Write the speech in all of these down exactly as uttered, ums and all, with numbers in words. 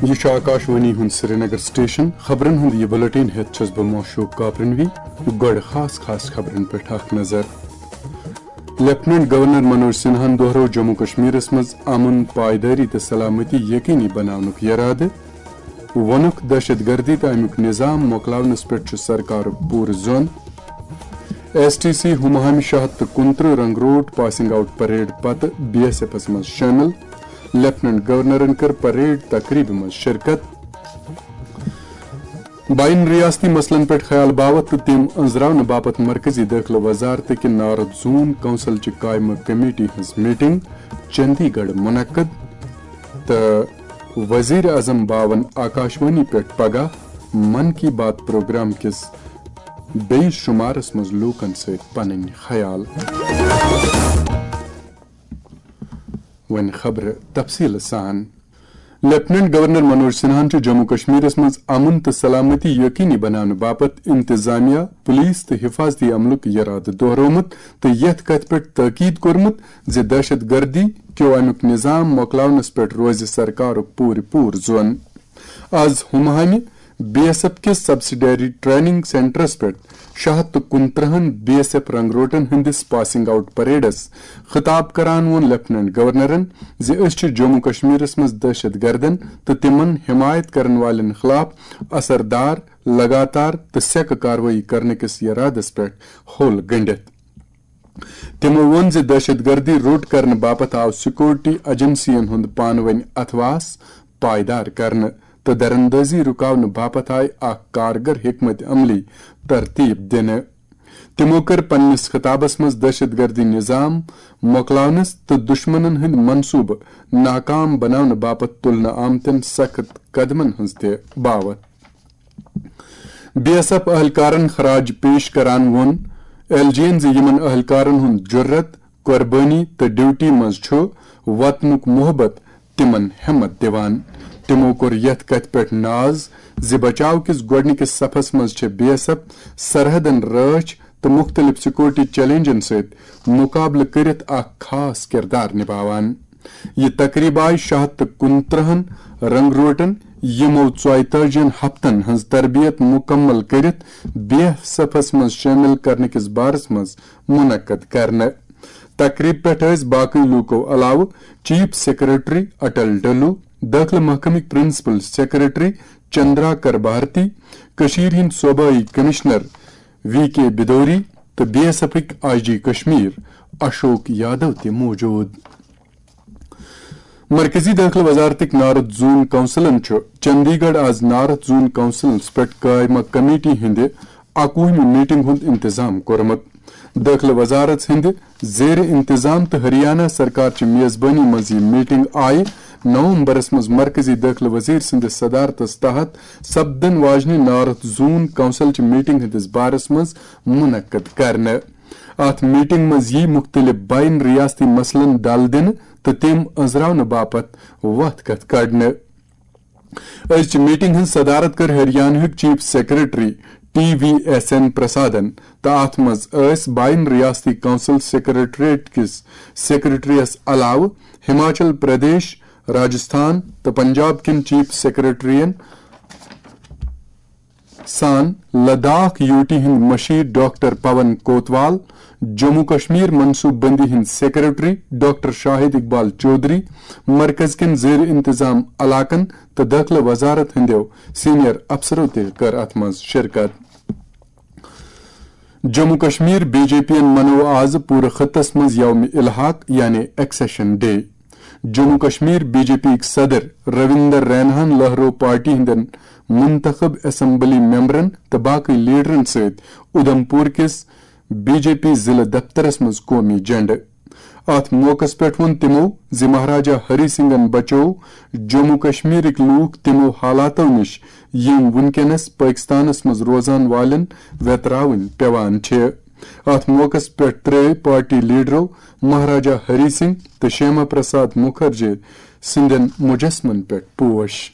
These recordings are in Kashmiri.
یہِ چھُ آکاشوانی ہُنٛد سرینگر سٹیشن۔ خبرن ہُنٛد یہِ بلیٹن ہٮ۪تھ چھُس بہٕ معشوق کاپرنوی۔ گۄڈٕ خاص خاص خبرن پٮ۪ٹھ اکھ نظر۔ لیفٹیننٹ گورنر منوج سنہاہن دۄہرٲو جموں کشمیرس منٛز امن، پائیدٲری تہٕ سلامتی یقینی بناونُک یرادٕ۔ ووٚنُکھ، دہشت گردی تہٕ امیُک نظام مۄکلاونس پٮ۪ٹھ چھُ سرکارُک پوٗرٕ زون۔ ایس ٹی سی ہماہمہِ شاہ تہٕ کُنترٕہ رنگ روٹ پاسنگ آؤٹ پریڈ پتہٕ بی ایس ایفس منٛز شٲمِل۔ لیفٹیننٹ گورنرن کٔر پریڈ تقریبہِ منٛز شرکت۔ بین ریاستی مسلن پٮ۪ٹھ خیال باوتھ تہٕ تِم أنٛزراونہٕ باپتھ مرکزی دٲخلہٕ وزارتٕکہِ نارتھ زون کونسلچہِ قائمہ کمیٹی ہٕنٛز میٹنگ چندی گڑھ منعقد۔ تہٕ وزیر اعظم باون آکاشوانی پٮ۪ٹھ پگاہ من کی بات پروگرام کِس بیٚیِس شمارس منٛز لوٗکن سۭتۍ پنٕنۍ خیال۔ وۄنۍ خبرٕ تفصیٖل سان۔ لیفٹیننٹ گورنر منوج سنہاہن چھُ جموں کشمیرس منٛز امن تہٕ سلامتی یقینی بناونہٕ باپتھ انتظامیہ، پولیس تہٕ حفاظتی عملُک یرادٕ دۄہرومُت تہٕ یتھ کتھِ پٮ۪ٹھ تاکید کوٚرمُت زِ دہشت گردی کیو امیُک نظام مۄکلاونس پٮ۪ٹھ روزِ سرکارُک پوٗرٕ پوٗرٕ زون۔ آز ہماہمہِ بی ایس ایف کِس سبسڈری ٹریننگ سینٹرس پٮ۪ٹھ شےٚ ہتھ تہٕ کُنترٕہن بی ایس ایف رنگروٹن ہٕنٛدِس پاسنگ آؤٹ پریڈس خطاب کران ووٚن لیفٹیننٹ گورنرن زِ أسۍ چھِ جموں کشمیرس منٛز دہشت گردن تہٕ تِمن حمایت کرن والٮ۪ن خلاف اثردار، لگاتار تہٕ سیکہٕ کاروٲیی کرنہٕ کِس ارادس پٮ۪ٹھ ہوٚل گنڈِتھ۔ تِمو ووٚن زِ دہشت گردی روٚٹ کرنہٕ باپتھ آو سیکورٹی ایجنسین ہُنٛد پانہٕ ؤنۍ اتھواس پائیدار کرنہٕ تہٕ دراندازی رُکاونہٕ باپتھ آیہِ اکھ کارگر حکمت عملی ترتیب دِنہٕ۔ تِمو کٔر پننِس خطابس منٛز دہشت گردی نظام مۄکلاونس تہٕ دشمنن ہٕنٛدۍ منصوبہٕ ناکام بناونہٕ باپتھ تُلنہٕ آمتٮ۪ن سخت قدمن ہٕنٛز تہِ باوتھ۔ بی ایس ایف اہلکارن خراج پیش کران ووٚن ایل جی ین زِ یِمن اہلکارن ہُنٛد جرت، قربٲنی تہٕ ڈیوٹی منٛز چھُ وطنُک محبت تِمن ہمت دِوان۔ تِمو کوٚر یتھ کتھِ پٮ۪ٹھ ناز زِ بچاو کِس گۄڈٕنِکِس صفس منٛز چھِ بی ایس ایف سرحدن رٲچھ تہٕ مُختٔلِف سیکورٹی چیلنجن سۭتۍ مُقابلہٕ کٔرِتھ اکھ خاص کردار نِبھاوان۔ یہِ تقریب آیہِ شےٚ ہتھ تہٕ کُنترٕہن رنگروٹن، یِمو ژۄیتٲجین ہفتن ہٕنٛز تربیت مُکمل کٔرِتھ بی ایس ایفس منٛز شٲمِل کرنہٕ کِس بارس منٛز منعقد کرنہٕ۔ تقریب پٮ۪ٹھ ٲسۍ باقٕے لوٗکو علاوٕ چیف سیکرٹری اٹل ڈلو، دٲخلہٕ محکمٕکۍ پرنسپل سیکرٹری چندرا کر بھارتی، کٔشیٖرِ ہٕنٛدۍ صوبٲئی کمشنر وی کے بدوری تہٕ بی ایس ایفٕکۍ آئی جی کشمیر اشوک یادو تہِ موجود۔ مرکزی دٲخلہٕ وزارتٕکۍ نارتھ زون کونسلن چھُ چندی گڑھ آز نارتھ زون کونسلس پٮ۪ٹھ قائمہ کمیٹی ہٕنٛدِ اکوُہمہِ میٹنگ ہُنٛد انتظام کوٚرمُت۔ دٲخلہٕ وزارت ہٕنٛدِ زیر انتظام تہٕ ہریانہ سرکار چہِ میزبٲنی منٛز یہِ میٹنگ آیہِ نومبرس منٛز مرکزی دٲخلہٕ وزیر سٕنٛدِس صدارتس تحت سپدن واجنہِ نارتھ زون کونسل چہِ میٹنگ ہٕنٛدِس بارس منٛز منعقد کرنہٕ۔ اتھ میٹنگ منٛز یی مُختٔلِف بین ریاستی مسلن ڈل دِنہٕ تہٕ تِم أنٛزراونہٕ باپتھ وتھ کتھ کڑنہٕ۔ أزچہِ میٹنگ ہٕنٛز صدارت کٔر ہریانہٕکۍ chief secretary T V S N پرسادن تہٕ اتھ منٛز ٲسۍ بین ریاستی کونسل سیکرٹریٹ کِس سیکرٹریس علاوٕ ہماچل پردیش، راجستھان تہٕ پنجاب کٮ۪ن چیف سیکرٹرین سان لداخ یو ٹی ہٕنٛدۍ مشیر ڈاکٹر پون کوتوال، جموں کشمیر منصوبہٕ بندی ہٕنٛدۍ سیکرٹری ڈاکٹر شاہد اقبال چودھری، مرکز کٮ۪ن زیر انتظام علاقن تہٕ دٲخلہٕ وزارت ہٕنٛدیو سینئر افسرو تہِ کٔر اتھ منٛز شرکت۔ Jammu Kashmir B J P یَن منوو آز پوٗرٕ خطس منٛز یوم الحاق یعنی accession day. Jammu Kashmir B J P یٕکۍ صدر رویندر ریناہن لہرو پارٹی ہٕنٛدٮ۪ن منتخب اسمبلی ممبرن تہٕ باقٕے لیڈرن سۭتۍ اُدھمپور کِس بی جے پی ضلعہٕ دفترس منٛز قومی جھنڈٕ۔ اتھ موقعس پٮ۪ٹھ ووٚن تِمو زِ مہاراجا ہری سنگھن بچٲو جموں کشمیرٕکۍ لوٗکھ تِمو حالاتو نِش، یِم وُنکیٚنس پٲکستانس منٛز روزان والٮ۪ن ویتراوٕنۍ پٮ۪وان چھِ۔ اتھ موقعس پٮ۪ٹھ ترٲوۍ پارٹی لیڈرو مہاراجا ہری سنگھ تہٕ شیاما پرساد مُکھرجی سٕنٛدٮ۪ن مجسمن پٮ۪ٹھ پوش۔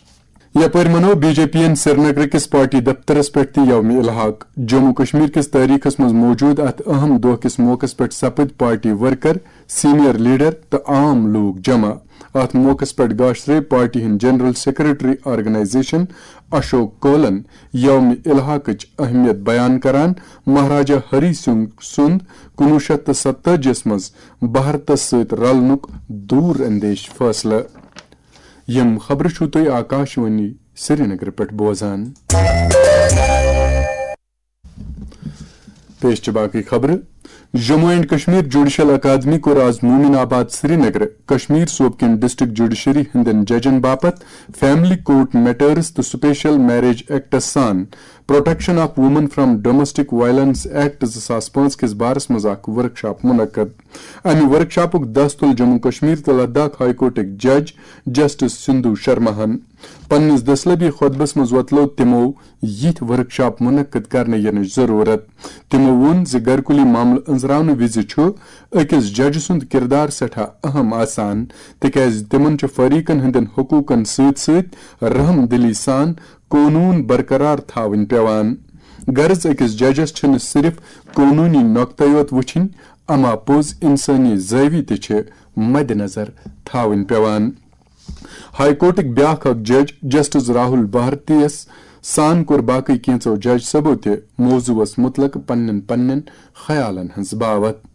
یپٲرۍ منوو بی جے پی یَن سرینگر کِس پارٹی دفترس پٮ۪ٹھ تہِ یوم الحاق۔ جموں کشمیر کِس تٲریخس منٛز موجود اتھ اہم دۄہ کِس موقعس پٮ۪ٹھ سپٕدۍ پارٹی ورکر، سینئر لیڈر تہٕ عام لوٗکھ جمع۔ اتھ موقعس پٮ۪ٹھ گاشرے پارٹی ہٕنٛدۍ جنرل سیکرٹری آرگنائزیشن اشوک کولن یوم الحاقٕچ اہمیت بیان کران مہاراجا ہری سنگھ سُنٛد کُنوُہ شیٚتھ تہٕ ستتٲجی یس منٛز بھارتس سۭتۍ رلنُک دوٗر اندیش فٲصلہٕ۔ یِم خبرٕ چھِو تُہۍ آکاشوانی سرینگرٕ پٮ۪ٹھ بوزان۔ پیش چھِ باقٕے خبرٕ۔ جموں اینڈ کشمیر جوڈیشل اکادمی کوٚر آز مومن آباد سرینگر کشمیر صوبہٕ کٮ۪ن ڈسٹرکٹ جوڈیشری ہٕنٛدٮ۪ن ججن باپتھ فیملی کورٹ میٹرز تہٕ سپیشل میریج ایکٹس سان protection of women from domestic violence act زٕ ساس پانٛژھ کِس بارس منٛز اکھ ورکشاپ منعقد۔ امہِ ورکشاپُک دس تُل جموں کشمیر تہٕ لداخ ہائی کورٹٕکۍ جج جسٹس سندھو شرماہن۔ پننِس دٔسلٲبی خطبس منٛز وۄتلٲو تِمو یِتھۍ ورکشاپ منعقد کرنہٕ یِنٕچ ضروٗرت۔ تِمو ووٚن زِ گرکُلی معاملہٕ أنٛزراونہٕ وِزِ چھُ أکِس ججہِ سُنٛد کِردار سٮ۪ٹھاہ اہم آسان، تِکیازِ تِمن چھُ فریقن ہٕنٛدٮ۪ن حقوٗقن سۭتۍ سۭتۍ رحم دلی سان قونوٗن برقرار تھاوٕنۍ پٮ۪وان۔ غرض، أکِس ججس چھِنہٕ صرف قونوٗنی نۄقطہٕ یوت وٕچھِنۍ، اما پوٚز انسٲنی زٲوی تہِ چھِ مدِ نظر تھاوٕنۍ پٮ۪وان۔ ہائی کورٹٕکۍ بیٛاکھ اکھ جج جسٹس راہول بھارتی یس سان کوٚر باقٕے کینٛژو جج صٲبو تہِ موضوعس متعلق پننٮ۪ن پننٮ۪ن خیالن ہٕنٛز باوتھ۔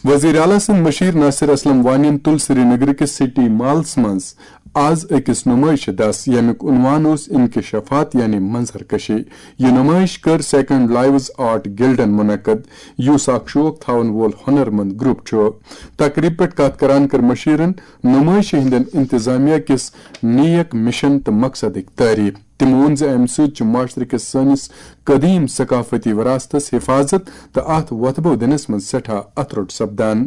وزیر اعلیٰ سٕنٛدۍ مشیر ناصر اسلم وانین تُل سری نگر کِس سٹی مالس منٛز آز أکِس نمٲیشہِ دس، ییٚمیُک عنوان اوس انکشافات یعنی منظر کشی۔ یہِ نمٲیش کٔر سیکنڈ لائیوز آرٹ گلڈن منعقد، یُس اکھ شوق تھاون وول ہنرمند گروپ چھُ۔ تقریب پٮ۪ٹھ کتھ کران کٔر مشیرن نمٲیشہِ ہٕنٛدٮ۪ن انتظامیہ کِس نیک مشن تہٕ مقصدٕکۍ تعریف۔ تٔمۍ ووٚن زِ امہِ سۭتۍ چھُ معاشرٕ کِس سٲنِس قدیم ثقافتی وراثتس حفاظت تہٕ اتھ وۄتھبو دِنس منٛز سٮ۪ٹھاہ اتھرُٹ سپدان۔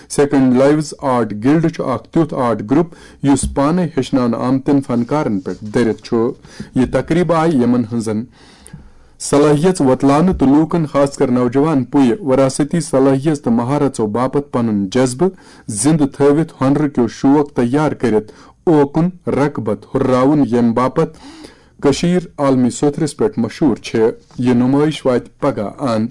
سیکنڈ لائیوز آرٹ گلڈ چھُ اکھ تیُتھ آرٹ گروپ یُس پانے ہیٚچھناونہٕ آمتٮ۪ن فنکارن پٮ۪ٹھ دٔرِتھ چھُ۔ یہِ تقریب آیہِ یِمن ہٕنٛزن صلٲحیژ وۄتلاونہٕ تہٕ لوٗکن، خاص کر نوجوان پُیہِ، وراثتی صلٲحیژ تہٕ مہارژو باپتھ پنُن جذبہٕ زِندٕ تھٲوِتھ ہۄنرٕ کیو شوق تیار کٔرِتھ اوکُن رغبت ہُرراوُن، ییٚمہِ باپتھ کٔشیٖر عالمی سوٚتھرِس پٮ۪ٹھ مشہوٗر چھِ۔ یہِ نمٲیش واتہِ پگاہ اند۔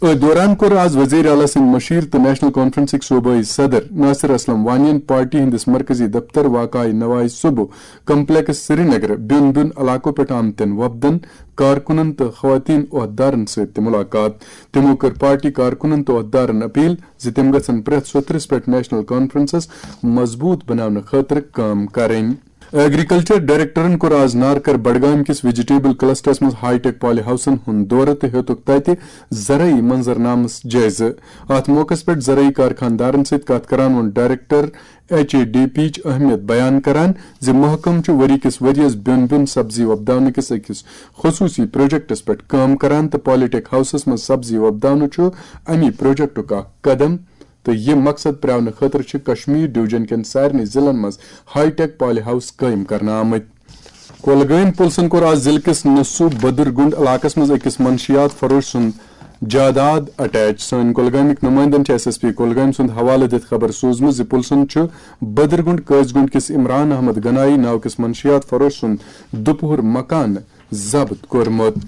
أتھۍ دوران کوٚر آز وزیر اعلیٰ سٕنٛدۍ مشیر تہٕ نیشنل کانفرنسٕکۍ صوبٲئی صدر ناصر اسلم وانین پارٹی ہٕنٛدِس مرکزی دفتر واقعہ نواز صبح کمپلیکس سرینگر بیوٚن بیوٚن علاقو پٮ۪ٹھ آمتٮ۪ن وفدن، کارکنن تہٕ خواتین عہدیدارن سۭتۍ تہِ ملاقات۔ تِمو کٔر پارٹی کارکنن تہٕ عہدیدارن اپیل زِ تِم گژھن پرٛٮ۪تھ سوٚتھرِس پٮ۪ٹھ نیشنل کانفرنسس مضبوٗط بناونہٕ خٲطرٕ کٲم کرٕنۍ۔ ایگریکلچر ڈائریکٹرن کوٚر آز نارکر بڈگام کِس ویجیٹیبل کلسٹرس منٛز ہائی ٹیک پالی ہاؤسن ہُنٛد دورٕ تہٕ ہیوٚتُکھ تتہِ زرعی منظرنامس جٲیزٕ۔ اتھ موقعس پٮ۪ٹھ زرعی کارخانہٕ دارن سۭتۍ کتھ کران ووٚن ڈائریکٹر ایچ اے ڈی پیچ اہمیت بیان کران زِ محکمہٕ چھُ ؤری کِس ؤرۍ یَس بیوٚن بیوٚن سبزی وۄپداونہٕ کِس أکِس خصوٗصی پروجیکٹَس پٮ۪ٹھ کٲم کران تہٕ پالی ٹیک ہاؤسَس منٛز سبزی وۄپداونہٕ چھُ اَمی پروجیکٹُک اکھ قدم، تہٕ یہِ مقصد پرٛاونہٕ خٲطرٕ چھِ کشمیر ڈویژن کٮ۪ن سارنٕے ضلعن منٛز ہائی ٹیک پالی ہاؤس قٲیِم کرنہٕ آمٕتۍ۔ کۄلگٲمۍ پُلسَن کوٚر آز ضلعہٕ کِس نصوٗ بدرگُنڈ علاقَس منٛز أکِس منشیات فروش سُنٛد جاداد اٹیچ۔ سٲنۍ کۄلگٲمِکۍ نُمٲیندَن چھِ ایس ایس پی کۄلگٲمۍ سُنٛد حوالہٕ دِتھ خبر سوٗزمٕژ زِ پُلسَن چھُ بدرگُنڈ قٲضۍ گُنڈ کِس عمران احمد گنایی ناو کِس منشیات فروش سُنٛد دُپہُر مکانہٕ ضبط کوٚرمُت۔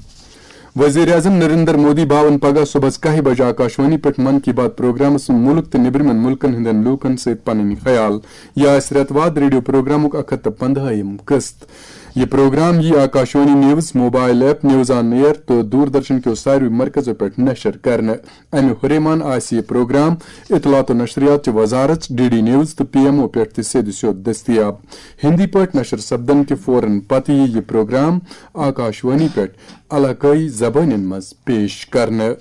وزیر اعظم نریندر مودی بھاون پگہہ صبحس کاہہِ بجہِ آکاشوانی پٮ۪ٹھ من کی بات پروگرامس منٛز مُلک تہٕ نیبرِمٮ۪ن مُلکن ہٕنٛدٮ۪ن لوٗکن سۭتۍ پنٕنۍ خیال۔ یہِ آسہِ رٮ۪تہٕ واد ریڈیو پروگرامُک اکھ ہتھ تہٕ پندہٲیِم قسط۔ یہِ پروگرام یِیہِ Akashvani news, mobile app, news on air تہٕ دوردرشن کیو ساروٕے مرکزو پٮ۪ٹھ نشر کرنہٕ۔ امہِ ہُریمان آسہِ یہِ پروگرام اطلاعات و نشریات چہِ وزارت، ڈی ڈی نیوز تہٕ پی ایم او پٮ۪ٹھ تہِ سیٚدِ سیوٚد دٔستیاب۔ ہندی پٲٹھۍ نشر سپدن کہِ فوراً پتہٕ یِیہِ یہِ پروگرام آکاشوانی پٮ۪ٹھ علاقٲیی زبٲنٮ۪ن منٛز پیش کرنہٕ۔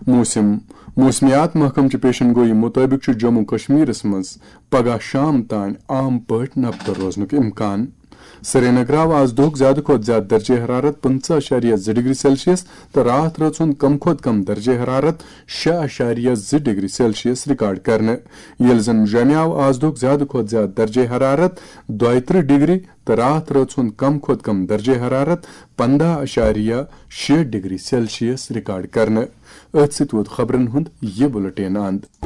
موسم۔ موسمیات محکمہٕ چہِ پیشن گویی مُطٲبِق چھُ جموں کشمیرس منٛز پگہہ شام تام عام پٲٹھۍ نبتہٕ روزنُک امکان۔ سرینگر آو آز دۄہُک زیادٕ کھۄتہٕ زیادٕ درجہ حرارت پٕنٛژٕہ اَشاریہ زٕ ڈگری سیلسیس تہٕ راتھ رٲژ ہُنٛد کم کھۄتہٕ کم درجہ حرارت شےٚ اَشاریہ زٕ ڈگری سیلسیس ریکارڈ کرنہٕ، ییٚلہِ زن جوٚمہِ آو آز دۄہُک زیادٕ کھۄتہٕ زیادٕ درجہ حرارت دۄیہِ ترٕٛہ ڈگری تہٕ راتھ رٲژ ہُنٛد کم کھۄتہٕ کم درجہ حرارت پنٛداہ اَشاریہ شےٚ ڈگری سیلسیس ریکارڈ کرنہٕ۔ أتھۍ سۭتۍ ووت خبرن ہُنٛد یہِ بُلٹین اند۔